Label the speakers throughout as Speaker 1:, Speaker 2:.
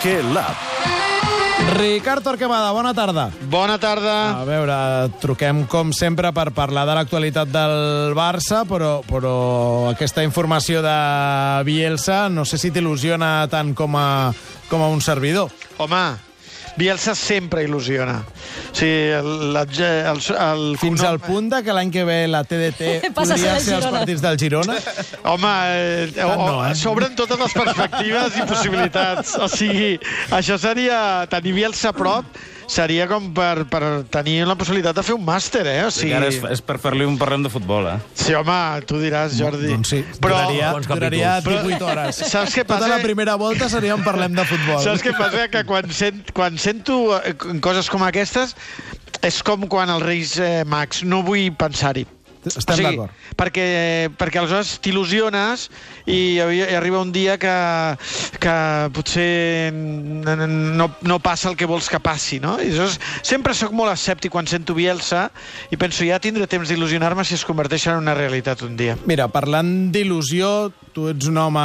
Speaker 1: Basquet Lab.
Speaker 2: Ricard Torquemada, bona tarda.
Speaker 3: Bona tarda.
Speaker 2: A veure, truquem com sempre per parlar de l'actualitat del Barça, però aquesta informació de Bielsa no sé si t'il·lusiona tant com a un servidor.
Speaker 3: Home, Bielsa sempre il·lusiona. O sigui,
Speaker 2: Fins al punt de que l'any que ve la TDT podria ser els partits del Girona?
Speaker 3: Home, s'obren totes les perspectives i possibilitats. O sigui, això seria tenir Bielsa a prop, seria com per tenir la possibilitat de fer un màster, eh? O sigui...
Speaker 4: Ara és per fer-li un parlem de futbol, eh?
Speaker 3: Sí, home, tu diràs, Jordi.
Speaker 2: Doncs sí, duraria 18 hores.
Speaker 3: Saps què passa?
Speaker 2: Tota la primera volta seria un parlem de futbol.
Speaker 3: Saps què passa? Que quan sento coses com aquestes, és com quan els Reis Mags. No vull pensar-hi.
Speaker 2: Estem d'acord.
Speaker 3: Perquè aleshores t'il·lusiones i arriba un dia que potser no passa el que vols que passi, no? I aleshores sempre sóc molt escèptic quan sento Bielsa i penso, ja tindré temps d'il·lusionar-me si es converteix en una realitat un dia.
Speaker 2: Mira, parlant d'il·lusió, tu ets un home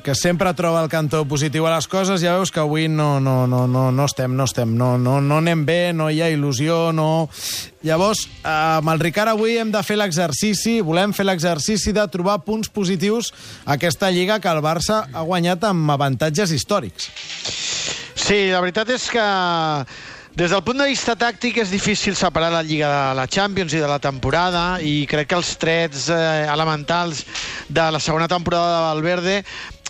Speaker 2: que sempre troba el cantó positiu a les coses, ja veus que avui no anem bé, no hi ha il·lusió, no... Llavors, amb el Ricard avui hem de fer volem fer l'exercici de trobar punts positius a aquesta lliga que el Barça ha guanyat amb avantatges històrics.
Speaker 3: Sí, la veritat és que des del punt de vista tàctic és difícil separar la Lliga de la Champions i de la temporada, i crec que els trets elementals de la segona temporada de Valverde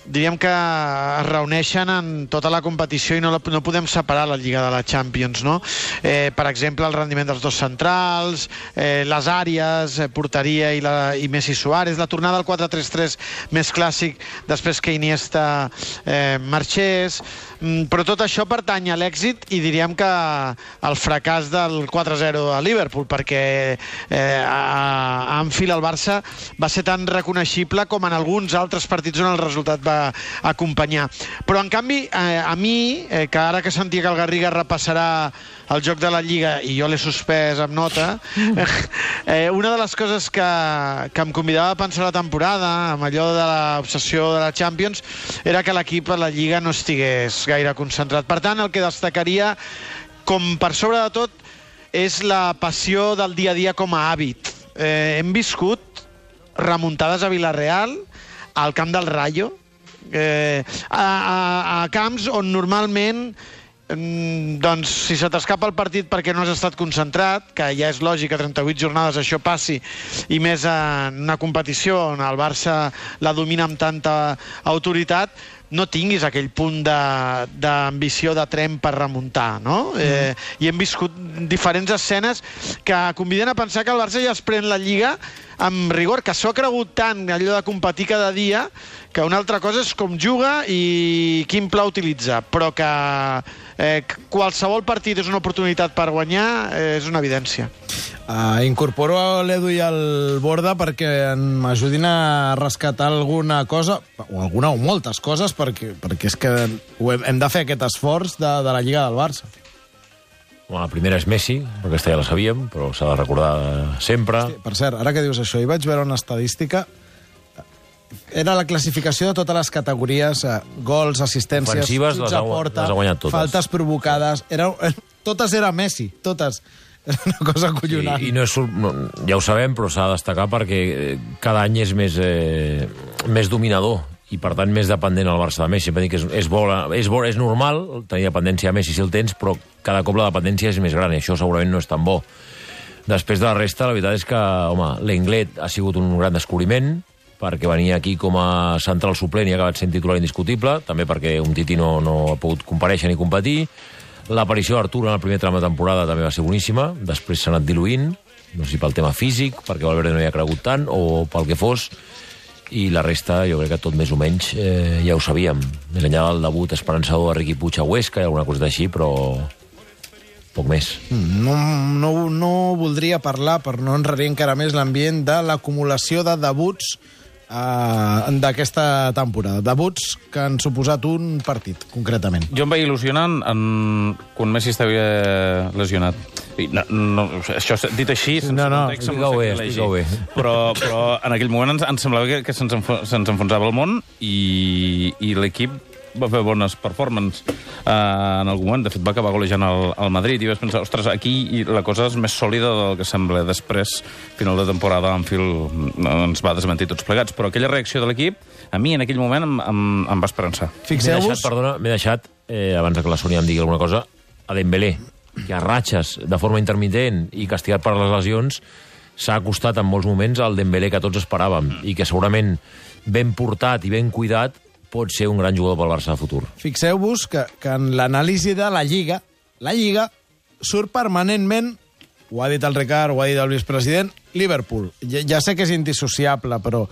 Speaker 3: diríem que es reuneixen en tota la competició i no podem separar la Lliga de la Champions, no? Per exemple, el rendiment dels dos centrals, les àrees, porteria i Messi Suárez, la tornada al 4-3-3 més clàssic després que Iniesta marxés, però tot això pertany a l'èxit i diríem que al fracàs del 4-0 a Liverpool, perquè a Anfield el Barça va ser tan reconeixible com en alguns altres partits on el resultat va acompanyar. Però en canvi a mi, que ara que sentia que el Garriga repassarà el joc de la Lliga i jo l'he suspès amb nota, una de les coses que em convidava a pensar la temporada, amb allò de l'obsessió de la Champions, era que l'equip a la Lliga no estigués gaire concentrat. Per tant, el que destacaria, com per sobre de tot, és la passió del dia a dia com a hàbit. Hem viscut remuntades a Villarreal, al camp del Rayo, a camps on normalment doncs si se t'escapa el partit perquè no has estat concentrat, que ja és lògic, a 38 jornades això passi, i més en una competició on el Barça la domina amb tanta autoritat, no tinguis aquell punt d'ambició de tren per remuntar, no? I hem viscut diferents escenes que conviden a pensar que el Barça ja es pren la Lliga amb rigor, que s'ho ha cregut tant allò de competir cada dia, que una altra cosa és com juga i quin pla utilitza, però que qualsevol partit és una oportunitat per guanyar, és una evidència.
Speaker 2: Incorporo l'Edu i el Borda perquè m'ajudin a rescatar alguna cosa, o alguna o moltes coses, perquè és que hem de fer aquest esforç de la Lliga del Barça.
Speaker 5: La primera és Messi, perquè aquesta ja la sabíem, però s'ha de recordar sempre.
Speaker 2: Hosti, per cert, ara que dius això, hi vaig veure una estadística. Era la classificació de totes les categories, gols, assistències, xuts a porta, faltes provocades. Totes eren Messi, totes. Era una cosa acollonant.
Speaker 5: I ja ho sabem, però s'ha de destacar perquè cada any és més dominador i, per tant, més dependent el Barça de Messi. És normal tenir dependència a Messi si el tens, però cada cop la dependència és més gran i això segurament no és tan bo. Després de la resta, la veritat és que, home, l'Englet ha sigut un gran descobriment, perquè venia aquí com a central suplent i ha acabat sent titular indiscutible, també perquè un Titi no ha pogut comparèixer ni competir. L'aparició d'Artur en el primer tram de temporada també va ser boníssima, després s'ha anat diluint, no sé si pel tema físic, perquè Valverde no hi ha cregut tant, o pel que fos, i la resta jo crec que tot més o menys ja ho sabíem. Més enllà del debut esperançador de Riqui Puig a Huesca i alguna cosa d'així, però poc més.
Speaker 2: No voldria parlar, per no enrarir encara més l'ambient, de l'acumulació de debuts d'aquesta temporada. Debuts que han suposat un partit, concretament.
Speaker 4: Jo em vaig il·lusionant quan Messi estava lesionat. Això dit així, sense context,
Speaker 5: explica-ho bé.
Speaker 4: Però en aquell moment ens semblava que se'ns enfonsava el món i l'equip va fer bones performances en algun moment. De fet, va acabar golejant el Madrid i vas pensar, ostres, aquí la cosa és més sòlida del que sembla. Després, final de temporada, Anfield ens va desmentir tots plegats. Però aquella reacció de l'equip, a mi en aquell moment em va esperançar.
Speaker 2: Fixeu-vos...
Speaker 5: M'he deixat, abans que la Sònia em digui alguna cosa, a Dembélé, que a ratxes de forma intermitent i castigat per les lesions s'ha acostat en molts moments al Dembélé que tots esperàvem i que segurament ben portat i ben cuidat pot ser un gran jugador pel Barça de futur.
Speaker 2: Fixeu-vos que en l'anàlisi de la Lliga surt permanentment, ho ha dit el Ricard, ho ha dit el vicepresident, Liverpool. Ja sé que és indissociable, però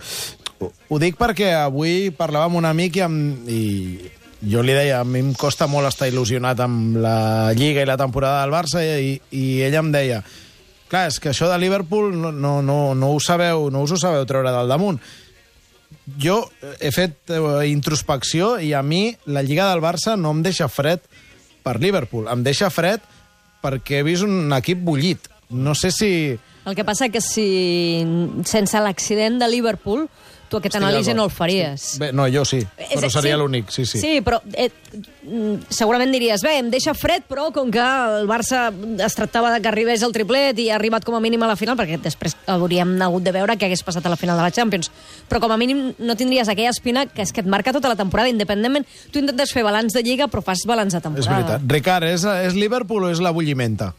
Speaker 2: ho dic perquè avui parlava amb un amic i jo li deia, a mi em costa molt estar il·lusionat amb la Lliga i la temporada del Barça i ella em deia, clar, és que això de Liverpool no us ho sabeu treure del damunt. Jo he fet introspecció i a mi la Lliga del Barça no em deixa fred per Liverpool, em deixa fred perquè he vist un equip bullit. No sé si...
Speaker 1: El que passa que si sense l'accident de Liverpool tu aquest anàlisi no el faries.
Speaker 2: Sí. Bé, no, jo sí, però seria l'únic, sí.
Speaker 1: Sí, però segurament diries, bé, em deixa fred, però com que el Barça es tractava de que arribés al triplet i ha arribat com a mínim a la final, perquè després hauríem hagut de veure què hagués passat a la final de la Champions. Però com a mínim no tindries aquella espina que és que et marca tota la temporada, independentment. Tu intentes fer balanç de Lliga, però fas balanç de temporada.
Speaker 2: És veritat. Ricard, és Liverpool o és la bullimenta?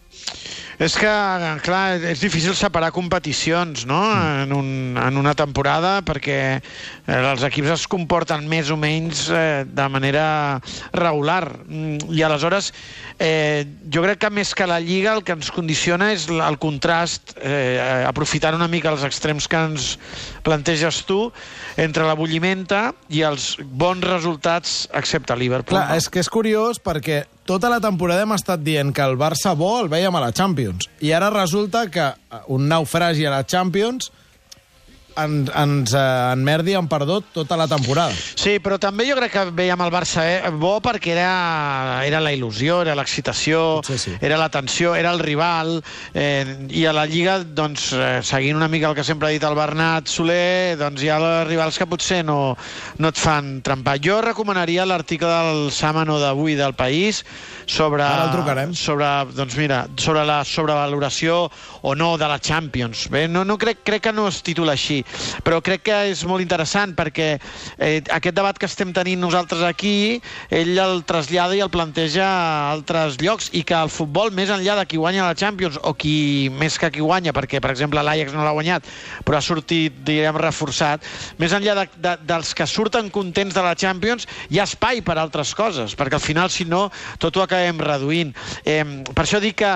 Speaker 3: És que, clar, és difícil separar competicions, no?, en una temporada, perquè els equips es comporten més o menys de manera regular. I aleshores, jo crec que més que la Lliga el que ens condiciona és el contrast, aprofitant una mica els extrems que ens planteges tu, entre la bullimenta i els bons resultats, excepte Liverpool.
Speaker 2: Clar, és que és curiós perquè tota la temporada hem estat dient que el Barça bo el veiem a la Champions. I ara resulta que un naufragi a la Champions ens enmerdi en perdut tota la temporada.
Speaker 3: Sí, però també jo crec que veiem el Barça bo perquè era la il·lusió, era l'excitació,
Speaker 2: sí.
Speaker 3: Era la tensió, era el rival, i a la Lliga, doncs, seguint una mica el que sempre ha dit el Bernat Soler, doncs hi ha rivals que potser no et fan trempar. Jo recomanaria l'article del Sámano d'avui del País sobre la sobrevaloració o no de la Champions. Bé, no crec que no es titula així, però crec que és molt interessant perquè aquest debat que estem tenint nosaltres aquí, ell el trasllada i el planteja a altres llocs, i que el futbol, més enllà de qui guanya la Champions o més que qui guanya, perquè per exemple l'Ajax no l'ha guanyat però ha sortit, direm, reforçat, més enllà dels que surten contents de la Champions, hi ha espai per altres coses, perquè al final, si no, tot ho acabem reduint. Per això dic que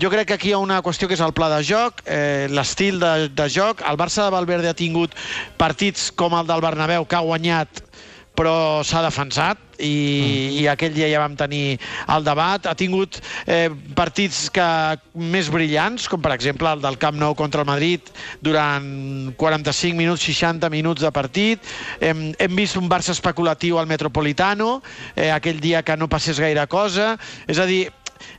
Speaker 3: jo crec que aquí hi ha una qüestió que és el pla de joc, l'estil de joc. El Barça de Valverde ha tingut partits com el del Bernabéu, que ha guanyat però s'ha defensat, i aquell dia ja vam tenir el debat. Ha tingut partits més brillants, com per exemple el del Camp Nou contra el Madrid, durant 45 minuts, 60 minuts de partit. Hem vist un Barça especulatiu al Metropolitano, aquell dia que no passés gaire cosa. És a dir,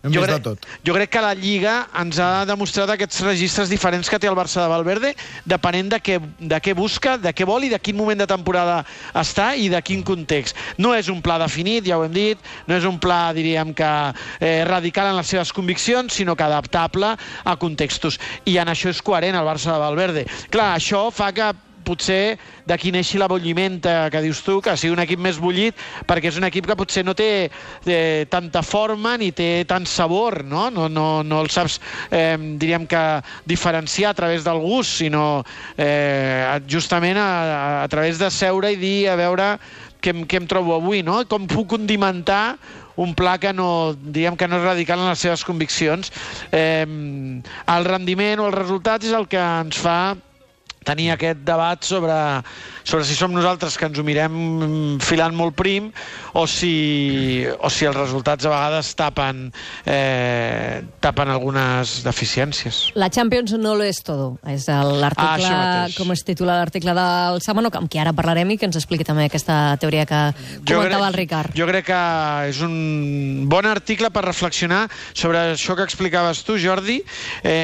Speaker 3: jo crec que la Lliga ens ha demostrat aquests registres diferents que té el Barça de Valverde, depenent de què busca, de què vol i de quin moment de temporada està i de quin context. No és un pla definit, ja ho hem dit, no és un pla, diríem, que radical en les seves conviccions, sinó que adaptable a contextos. I en això és coherent el Barça de Valverde. Clar, això fa que potser d'aquí neixi la bullimenta que dius tu, que sigui un equip més bullit, perquè és un equip que potser no té tanta forma ni té tant sabor, no? No el saps, diríem que diferenciar a través del gust, sinó justament a través de seure i dir, a veure què em trobo avui, no? Com puc condimentar un pla que diríem que no és radical en les seves conviccions. El rendiment o els resultats és el que ens fa tenir aquest debat sobre si som nosaltres que ens ho mirem filant molt prim o si els resultats a vegades tapen algunes deficiències.
Speaker 1: La Champions no lo és todo. És l'article, com es titula l'article del Sámano, amb qui ara parlarem i que ens expliqui també aquesta teoria que comentava el Ricard.
Speaker 3: Jo crec que és un bon article per reflexionar sobre això que explicaves tu, Jordi,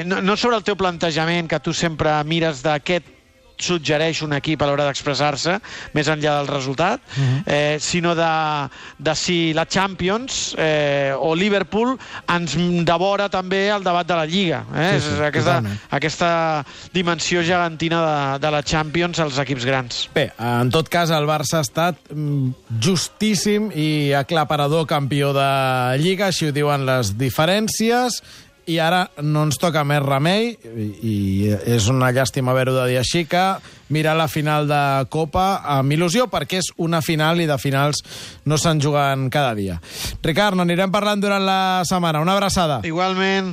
Speaker 3: no sobre el teu plantejament, que tu sempre mires d'aquest suggereix un equip a l'hora d'expressar-se, més enllà del resultat, sinó de si la Champions o Liverpool ens devora també el debat de la Lliga. Aquesta dimensió gegantina de la Champions als equips grans.
Speaker 2: Bé, en tot cas, el Barça ha estat justíssim i aclaparador campió de Lliga, així ho diuen les diferències, i ara no ens toca més remei, i és una llàstima haver-ho de dir així, que mirar la final de Copa amb il·lusió, perquè és una final i de finals no se'n juguen cada dia. Ricard, n'anirem parlant durant la setmana. Una abraçada.
Speaker 3: Igualment.